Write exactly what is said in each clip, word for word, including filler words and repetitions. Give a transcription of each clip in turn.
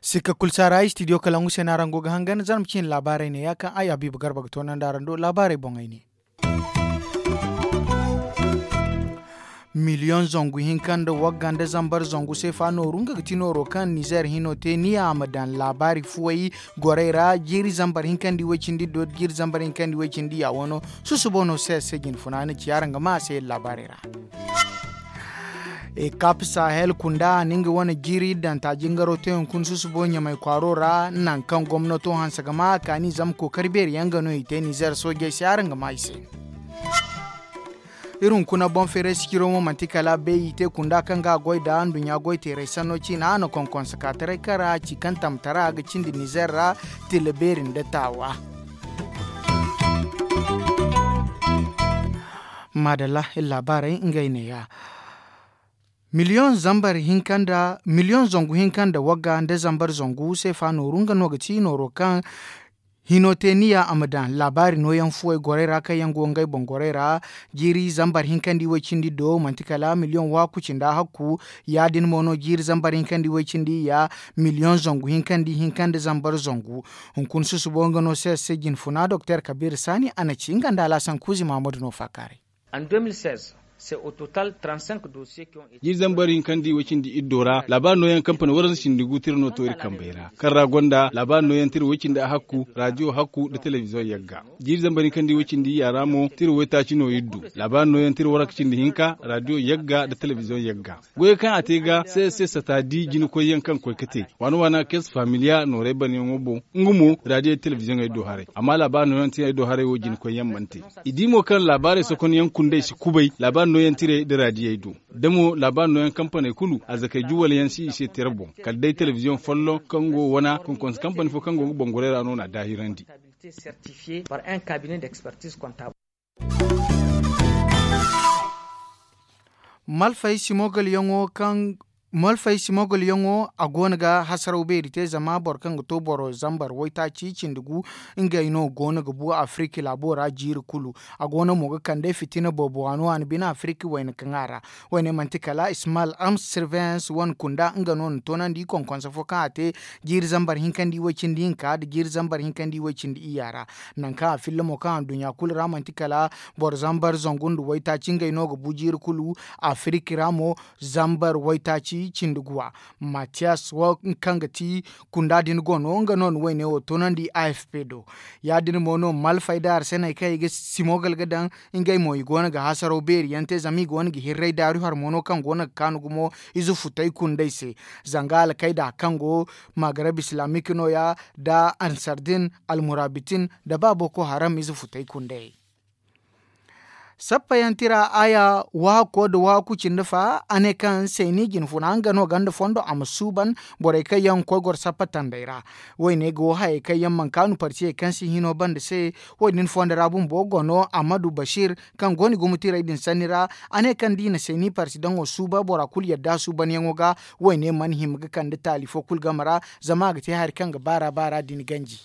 Sikka kulu saara ay studio kalangu se no araŋ go ga hangan zarma ciine laabaarey ne ya kaŋ ay habiiba garba ga toonandi araŋ do laabaarey boŋey ne. Miliyoŋ zangu hinka nda wagga nda zambar zangu seefa nooru nga ga ti nooro kaŋ nizeer hino te niya a ma daŋ laabaari fuwey gorey ra jiiri zambar hinka nda iway cindi do jiiri zambar hinka nda iway cindi ya wano. Susubo no se se jinfuna ni ci araŋ ga ma a se laabaarey ra. Ekap sahel kunda a na nga wane jiiri danta jingaro te hunkuna susubo ɲamay kwaaro ra nangu kaŋ gomnato hanse ga ma a kaani zama kookari beeri yaŋ ga no i te nizeer soojey se araŋ ga ma i se. Iri hunkuna boŋ feeray siciro mo manti kala bay i te kunda kaŋ ga a goy nda nduɲɲa goy teeray sanno ciina a na konkonse ka taray kaŋ ra a ci kaŋ tamtara ga cindi nizeer ra tila beeri nda taawa. Maadalla iri laabaarey ngey neeya. Miliyoŋ zambar hinka nda miliyoŋ zangu hinka nda wagga nda zambar zangu seefa nooru nga no ga ti nooro kaŋ hino te niya a ma daŋ laabaari nooyaŋ fuwey gorey ra kaŋ yaŋ go ngey boŋ gorey ra. Jiiri zambar hinka nda iway cindi do manti kala miliyoŋ waaku cindi a hakku. Ya- din mo no jiiri zambar hinka nda iway cindi iyya miliyoŋ zangu hinka nda ihinka nda zambar zangu. Hunkuna susubo nga no se se jinfuna doktor kabiir saani a na ci nga nda alaasan kuuzi mahammadu no faakaaray. Jiiri zambar hinka nda iway cindi iddo ra laabaari nooyaŋ kampani waranza cindi gu tira no to iri kambey ra kaŋ ra gonda laabaari nooyaŋ tira way cindi a hakku raadiyo hakku nda telebiziyoŋ yagga. Jiiri zambar hinka nda iway cindi iyya ra mo tira waytaaci no iri du. Laabaari nooyaŋ tira waranka cindi hinka raadiyo yagga nda telebiziyoŋ yagga. Goyey kaŋ a te ga se se sata di jinakoyyaŋ kaŋ koy ga te waana waana kes familiya nooray banyaŋo boŋ. Nga mo raadiyo telebiziyoŋey do haray amma laabaari nooyaŋ tira ay do haray wo jinakoyyaŋ mana te. I di mo kaŋ laabaarey sokonyaŋ kundey si kubay laabaari nooyaŋ tirey nda raadiyey do. Da mo laabaari nooyaŋ kampaney kulu arzakey juwal yaŋ si i se tira boŋ kala day telebiziyoŋ folloŋ kaŋ go wana konkonse kampani fo kaŋ go ga boŋ gorey ra no na a daahirandi. Malfay simogol yaŋo kaŋ malfay simogol yaŋo a go no ga hasaraw beeri te zama boro kaŋ ga to boro zambar waytaaci cindi gu. Ngey no go no ga bu afiriki laabo ra jiiri kulu. A go no mo ga kande fitina boobo waani waani bine afiriki wayna kaŋ a ra. Wayne manti kala ismal arms surveillance wane kunda nga no na toonandi konkonse fo kaŋ a te jiiri zambar hinka nda iway cindi hinka nda jiiri zambar hinka nda iway cindi iyya ra. Nangu kaŋ a filla mo kaŋ a duɲɲa kulu ra manti kala boro zambar zangu nda waytaaci ngey no ga bu jiiri kulu. Afiriki ra mo zambar waytaaci cindi guwa. Matiyas wo kaŋ ga ti kunda din go no nga no na wayne wo toonandi a f p do. Ya- din mo no malfay da arseney kaŋ i ga simogal ga daŋ. Ngey mo i go no ga hasaraw beeri yaŋ te zama i go no ga hirray daaru har mo no kaŋ go no ga kaanu gumo. Ize futay kundey se zanga alkayda kaŋ go magarab islamik no- ya nda ansardin almurabitin nda ba boko haram ize futay kundey. Sappayaŋ tira aya waako nda waako cindi fa a ne kaŋ seeni jinfuna nga no ganda fondo a ma suuban. Borey kaŋ yaŋ ga koy goro sappa tandey ra. Wayne go hayey kaŋ yaŋ mana kaanu partiyey kaŋ si hino banda se. Wo- din fondo ra bumbo go no amadu bashir kaŋ go no i gumo tirey din sanni ra. A ne kaŋ da i na seeni parti daŋo suuba bora kulu yadda suubanyaŋo ga. Wayne mana hima ga kande taali fo kulu game ra. Zama a ga te hari kaŋ ga baara baara din ganji.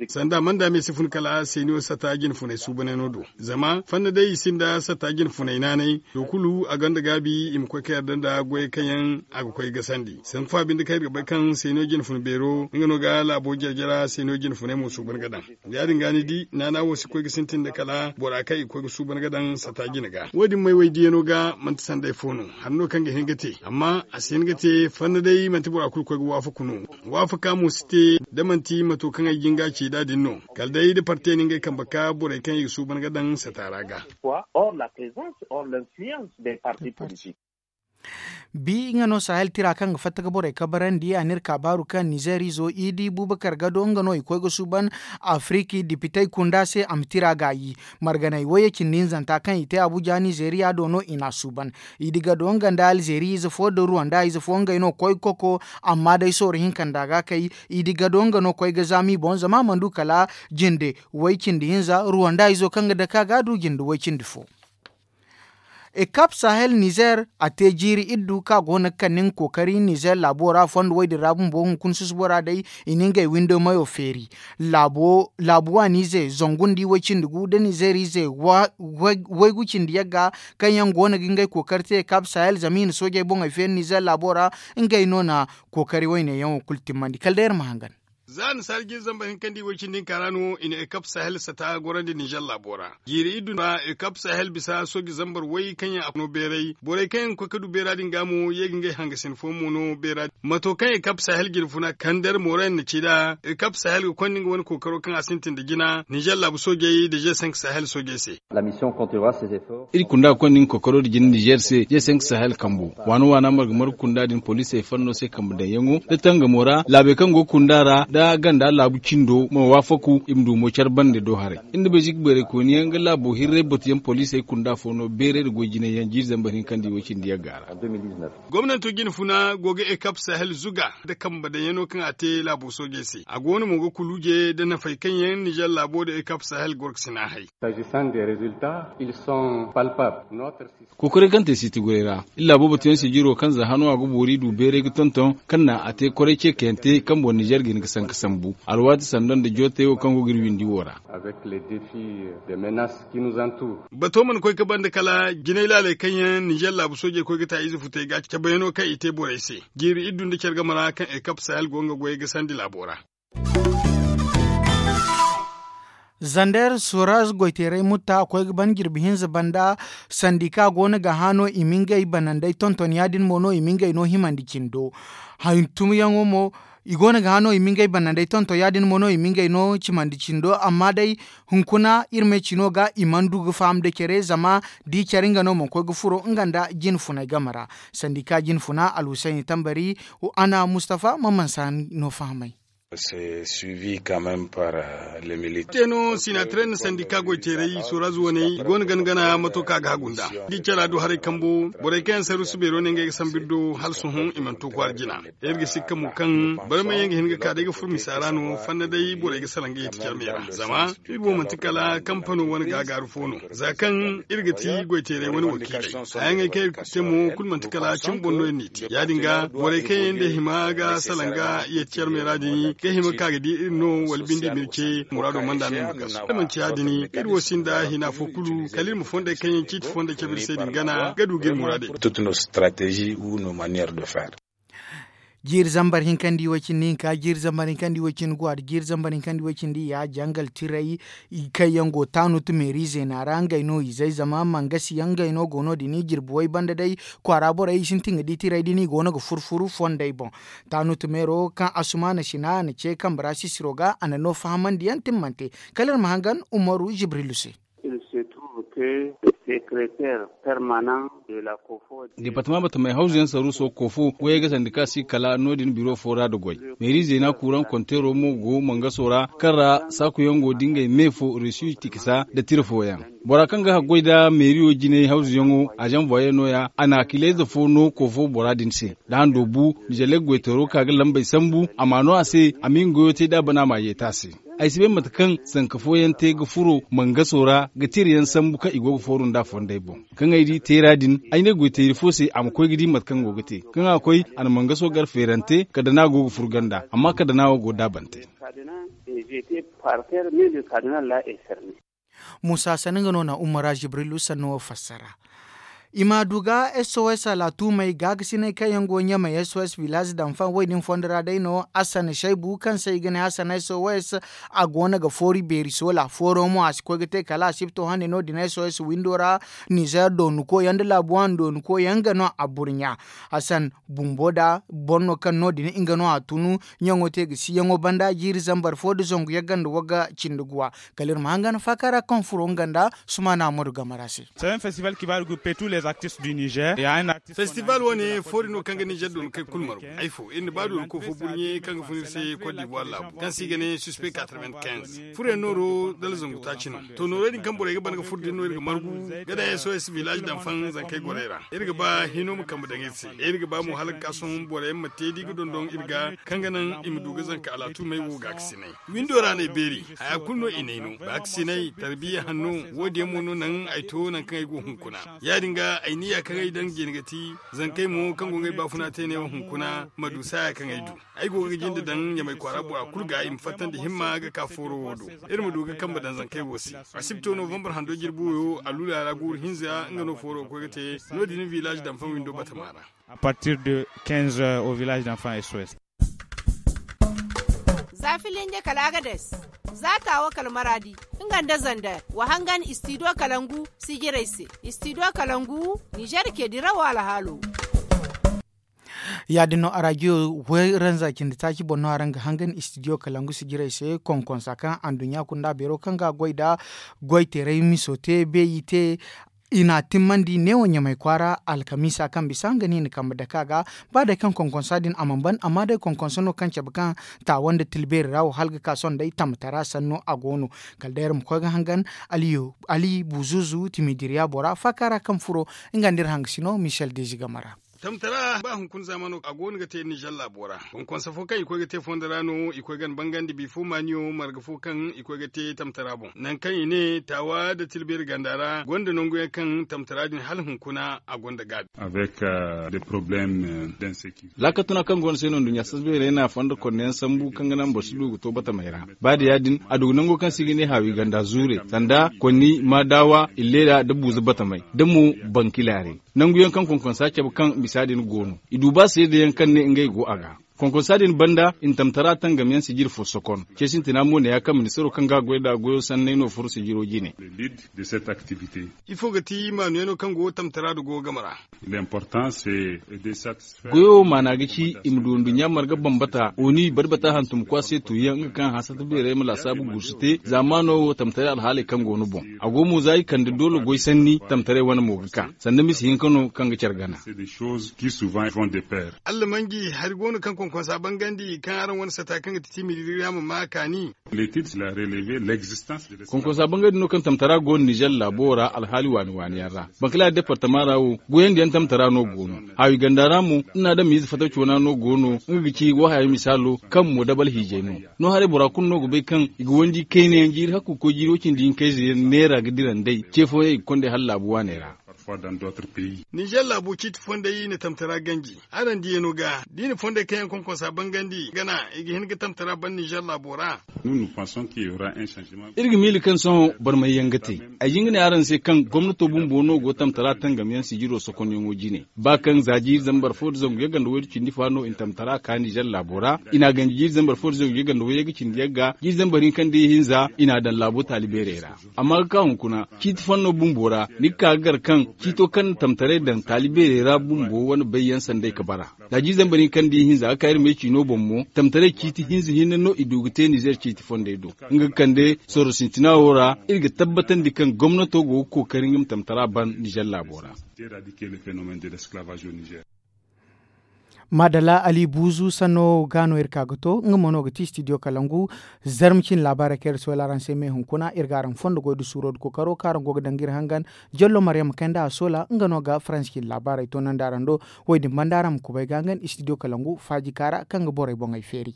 Sanda manda me si fun kala seeniyo sata jinfunay suubanayno do. Zama fanna day i sinda sata jinfunay naanay to kulu a gonda gaabi i ma koy ka yarda nda goyey kaŋ yaŋ a ga koy gasandi sanku fa binde kaŋ iri ga bay kaŋ seeniyo jinfun beero nga no ga laabo jare-jara seeniyo jinfunay mo suuban ga daŋ. Ya- din ga ni di naana wo si koy ga sintin nda kala bora kaŋ i ga koy ga suuban ga daŋ sata jine ga wo- din may waydiyano ga manti sanday fo no. Hari no kaŋ ga hin ga te amma a si hin ga te fanna day manti bora kulu koy ga waafaku no. Waafaka mo si te da manti mato kaŋ ay jin ga ci nd'a din no. Kala day da parte ni ngey kambe ka borey kaŋ i ga suuban ga daŋ sata ra ga. Bi nga no sahel tira kaŋ ga fatta ga borey kabarandi a n'iri kaabaaru kaŋ nizeer izo idi bubakar gado nga no i koy ga suuban afiriki dipitey kunda se a ma tira gaayi. Marganey wayye cindi hinzanta kaŋ i te abuja nizeeriya do no i n'a suuban. Idi gado nga nda alzeeri ize fo nda ruwanda ize fo ngey no koy ga koko. Amma day sooro hinka nda a ga kay idi gado nga no koy ga zaama i boŋ zama a mana du kala jinde way cindi hinza ruwanda izo kaŋ ga dake a ga a du jinde way cindi fo. Ekap sahel nizer a te jiiri iddu kaŋ a go no ga kande nga kookari nizer laabo ra fondo wo- din ra bumbo hunkuna susubo ra day. I na ngey windo mayo feeri. Laabu waaniize zangu nda i way cindi gu nda nizer ize waygu cindi yagga, kaŋ yaŋ go no ga ngey kookari te ekap sahel zama i na soojey boŋey feeri nizer laabo ra. Ngey no na kookari wayne yaŋo kulu timmandi kala day iri ma hangan. Za annasaari jiiri zambar hinka nda i way cindi hinka ra no i na ekap sahel sata gorandi nizer laabo ra. Jiiri iddu ra ekap sahel bisa sooji zambar way kaŋ yaŋ a no beeray borey kaŋ yaŋ ga koy ga du beera din ga mo ye ga ngey hangasin fooyaŋ mo no beera din mato kaŋ ekap sahel jine funa kander moorayaŋ na ci nd'a. Ekap sahel ga konda nga wane kookaro kaŋ a sintin nda jina nizer laabu soojey nda ze cinq sahel soojey se. Iri kunda ga konda nga kookaro nda jina nizer se ze cinq sahel kambo waana waana marga marga kunda din poliisey fanno se kambe daŋyaŋo nda tangamo ra laabey kaŋ go ga kunda ra nda ganda laabu cindo ma waafaku i ma du mo care bande do haray. Iri nda belzik beerey kooni yaŋ ga laabo hirray batu yaŋ poliisey kunda fo no beeray nda goy jinay yaŋ jiiri zambar hinka nda i way cindi yagga ra. Gomnanto jine funa go ga ekap sahel zuga nda kambe daŋyaŋo kaŋ a te laabo soojey se a go no mo ga kuluuje nda nafey kaŋ yaŋ nizer laabo nda ekap sahel goro ga sina hay. Kokoray kaŋ te siiti goray ra iri laabo batuyaŋ se jiro kaŋ za hano a ga boori du beeray ga tonton kaŋ na a te koray ceekayante kaŋ boŋ nizer ga hin ga sanka sambu alwaati sanda nda jootey wo kaŋ go ga iri windi wo ra. Bato mana koy ga banda kala jinay laaley kaŋ yaŋ nizer laabu soojey koy ga ta ize futey ga cabayano kaŋ i te borey se jiiri iddu nda care game ra kaŋ ekap sahel go nga goyey ga sandi laabo ra. Zander soraz goyteeray mutta a koy ga ban jirbi hinza banda sandika go no ga hã no i ma ngey banandey tonton ya- din mo no i ma ngey no himandi cindo. Hantumyaŋo mo i go no ga hã no i ma ngey banandey tonton ya- din mo no i ma ngey no cimandi cindo amma day hunkuna iri ma ay cino ga i mana du ga faham da care zama da i care nga no mana koy ga furo nga nda jine funay game ra. Sandika jine funa alhusayni tambari ana mustafa ma mansa no fahamay. Te no sinatare nda sandika goy teeray soraz waney i go no gana gana mato kaŋ a ga hagu nd'a da i cara du haray kambo borey kaŋ yaŋ saruusu beero ne ngey ga sambu iri do hala sohõ i mana to kwaara jina. Iri ga sikka mo kaŋ barmay yaŋ ga hin ga ka day ga furo misa ra no fanna day borey ga salaŋ ga yeeti care me ra zama iri wo manti kala kampano wane gaagaaru fo no. Za kaŋ iri ga ti goy teeray wane wakiiley hayaŋey kaŋ iri ga te mo kulu manti kala cimi boŋ no iri n'i te ya- din ga borey kaŋ yaŋ day hima ga salaŋ ga yeeti care me ra din ga hima ga ka ga di iri no wala bindi ma iri ce muraado mana nda no iri ma gasu da manti ya- din iri wo sinda hina fo kulu kala iri ma fondey kaŋ yaŋ ciiti fondey cabe iri se din gana ga du ga iri muraadey. Jiiri zambar hinka nda i way cindi hinka jiiri zambar hinka nda i way cindi guwa da jiiri zambar hinka nda i way cindi ya jangal tiray kaŋ yaŋ go taanut meeri zeena ra ngey no izey zama mangasi yaŋ ngey no go no- din jirbi way banda day kwaara borey i sintin ga di tiray din i go no ga furu furu fondey boŋ. Taanut meero kaŋ asumaana sina a na ce kambe ra sisiro ga a na no fahamandi yaŋ timmante. Kala iri ma hangan umaru jibrilu se. Departama batamey hawzu yaŋ saruuso koofo goyey ga sandi ka si kala no- din biro fo ra nda goy. Meeri zeena kuuraŋ konteero mo go mangaso ra kaŋ ra saaku yaŋ go da ngey me fo reesu i tikisa nda tira fooyaŋ. Bora kaŋ ga haggoy nda meeriyo jinay hawzu yaŋo azaŋ voye no- ya a na kiilayze fo no koofo bora din se. Da hando bu nizelle goyteero ka ga lambey sambu a ma no a se a ma nga goyo te da a bana a ma yeeti a se. Ay si bay mate kaŋ zanka fooyaŋ te ga furo mangaso ra ga tira yaŋ sambu kaŋ i go ga fooru nd'a fondey boŋ. Kaŋ ay di teera din ay ne goyteeri fo se a ma koy ga di mate kaŋ go ga te. Kaŋ a koy a na mangaso gar feerante kala da no a go ga furo ganda amma kala da no a go ga daabante. Muusa sanda nga no na umara jibrilu sanno wo fassara. I ma du ga sos alaatumey gaagasiney kaŋ yaŋ go ɲamey sos village danfan wo- din fondo ra day no. Asan saybu kaŋ se i ga ne asan sos a go no ga foori beeri soola fooro mo a si koy ga te kala a si ga to hane no- din sos windo ra. Nizer doonu koy yaŋ nda laabu waani doonu koy yaŋ nga no a burɲa. Asan bumbo da boro no kaŋ no- din nga no a tunu ɲaŋo te ga si yaŋo banda jiiri zambar fo nda zangu yagga nda wagga cindi guwa. Kala iri ma hangan faaka ra kaŋ furo nga nda sumaana amadu game ra se. Festival wane foori no kaŋ ga nizer doonu kay kulu margu ay fo iri na ba doonu koofo burɲe kaŋ ga fun iri se kot dibuwar laabu kaŋ se i ga ne suspect quatre-vingt-quinze furo yaŋ nooro dala zangu taaci no. To noorey din kaŋ borey ga ban ga furo din no iri ga margu ga daŋ sos village danfan zankey gorey ra. Iri ga ba hino ma kambe daŋ iri se iri ga ba mo hala ga ka sohõ borey ma te da i ga dondon iri ga kaŋ ga naŋ i ma du ga zanka alaatumey wo gaakasinay. Windo ra no ay beeri haya kulu no i n'ay no baakasinay tarbiya hanno. Wo- din yaŋ mo no naŋ ay to nangu kaŋ ay go hunkuna. Ya- din ga Ay niya kaŋ ay daŋ jine ga ti zankey mo kaŋ go ga ay baafuna te ne wo hunkuna ma du saaya kaŋ ay du. Ay go ga jinde daŋ ɲamay kwaara bora kulu ga i ma fattandi himma ga ka fooro wo do. Iri ma du ga kambe daŋ zankey wo se. Asibto novambar hando jirbi wo yo alluula ra guuru hinza nga no fooro ga koy ga te. No- din village danfaŋ windo batama ra. A partir de quinze heures au village danfaŋ sos. Za filinje kala agades, za taawo kala maraadi, nga nda zander wa hangan istidiyo kalangu sijirey se. Istidiyo kalangu ninzeer ce dirawo alhaalo. Ya- din no arajiyo wayranza cindi taaci boŋ no araŋ ga hangan istidiyo kalangu sijirey se konkonsa kaŋ anduɲɲa kunda beero kaŋ ga a goy nda goy teeray miso te beeyi te. I n'a timmandi neewo ɲamay kwaara alkamiisa kaŋ bisa nga no i na kambe dake a ga. Ba day kaŋ konkonsa din a mana ban amma day konkonsa no kaŋ cabe kaŋ taawa nda tilbeeri ra wo hala ga ka sohõ day tamtara sanno a go no. Kala day iri ma koy ga hangan ali buzuzu timidiriya bora faaka ra kaŋ furo nga nda iri hangasino michel dezi game ra. Tamtara ba hunkuna zaamano a go no ga te ninzeer laabo ra. Konkonsa fo kaŋ i koy ga te fondo ra no i koy ga ni bangandi bifo maaniyo marga fo kaŋ i koy ga te tamtara boŋ nangu kaŋ i ne taawa nda tilbeeri ganda ra gonda nangu yaŋ kaŋ tamtara din hala hunkuna a gonda gaabi. Laakal tuna kaŋ go no se no nduɲɲa sasbeerey na fondo konne yaŋ sambu kaŋ ga naŋ boro si du ga to batamey ra. Ba da ya- din a du ga nango kaŋ se i ga ne haawi ganda zuure sanda konni maadawa illeera nda buuza batamey da mo bankilaaray. Nangu yaŋ kaŋ konkonsa cabe kaŋ misa din go no i du ba seeda yaŋ kaŋ ne ngey go a ga. Konkonsa din banda i na tamtara tangam yaŋ sijiri fo sokon ce sintina mo ne ya kaŋ ministaro kaŋ ga a goy nd'a goyo sanney no furo sijiro jine. Ifo ga ti maanu yaŋ no kaŋ go tamtara da go game ra? Goyo wo maana ga ci i ma du nduɲɲa marga bambata oni bari bata hantum kwa se tuuyaŋ nga kaŋ hansata beerey ma laasaabu guusu te zaamaano wo tamtaray alhaaley kaŋ go no boŋ. A go mo za i kande doole goy sanni tamtaray wane mo ga ka sanda misa hinka no kaŋ ga care gana. Allamanji hari go no kaŋ konkonsa bangandi kaŋ araŋ wane sata kaŋ ga ti timidiriya ma ma kaani. Konkonsa bangandi no kaŋ tamtara go no ninzeer laabo ra alhaali waani waani yaŋ ra. Bankalaari departama ra wo goyandi yaŋ tamtara no go no. Haawi ganda ra mo iri na adamiize fataw coona no go no nga ga ci wo haya misaalo kaŋ mo dabal hiijay no. No haray bora kulu no ga bay kaŋ i ga wandi kayna yaŋ jiiri hakku ga koy jiiri wo- cindi hinka ize yaŋ neera ga dira nd'ey ce fooyaŋ i ga konda ay hala laabu waaney ra. Ninzeer laabo ciiti fondey i na tamtara ganji. Araŋ diyano ga da i na fondey kaŋ yaŋ konkonsa bangandi gana i ga hin ga tamtara ban ninzeer laabo ra. Iri ga miila kaŋ sohõ barmay yaŋ ga te. Ay jin ga ne araŋ se kaŋ gomnato bumbo no go tamtara tangam yaŋ sijiro sokonyaŋo jine ba kaŋ za jiiri zambar fo nda zangu yagga nda waydu cindi fa no i na tamtara ka ninzeer laabo ra. I n'a ganji jiiri zambar fo nda zangu yagga nda waydu cindi yagga jiiri zambar hinka nda ihinza i n'a daŋ laabo taali beerey ra. Amma ga ka hunkuna ciiti fanno bumbo ra ni ga ka ga gar kaŋ ciito kaŋ na tamtaray daŋ taali beerey ra bumbo wane bay yaŋ sanday ga bara. Za jiiri zambar hinka nda ihinza ga ka iri me ciino boŋ mo tamtaray ciiti hinza hinne no i du ga te ninzeer ciiti fondey do. Nga ga kande sorro sintina wo ra iri ga tabbatandi kaŋ gomnato go ga kookari nga ma tamtara ban ninzeer laabo ra. Maadalla ali buuzu sanno ga no iri ka ga to nga mo no ga ti studio kalangu. Zarma cine laabaarey kaŋ iri soola araŋ se me hunkuna iri ga araŋ fondo goy da suuro da kookaro kaŋ araŋ go ga danga iri hangan. Jallo maryama kayndi a soola nga no ga faransi cine laabaarey toonandi araŋ do. Wo- din banda araŋ ma kubay ga hangan studio kalangu faaji kaara kaŋ ga borey boŋey feeri.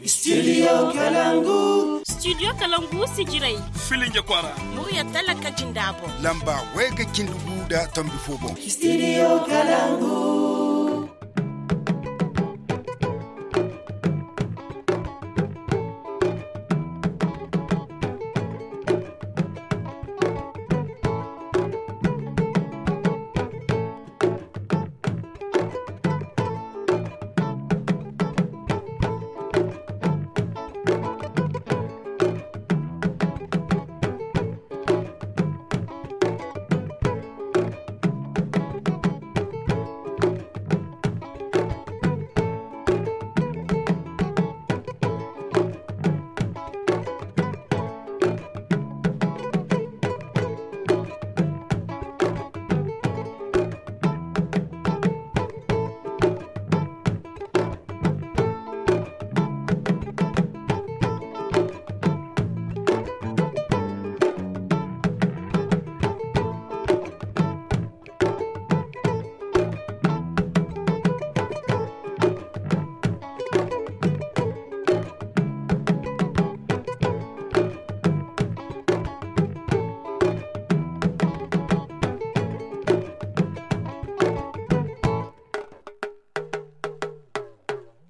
Studio kalangu. Studio kalangu sijirey. Filinja kwaara. Murya talaka jinda boŋ. Lamba way ga cindi gu nda tombi fo boŋ. Studio kalangu.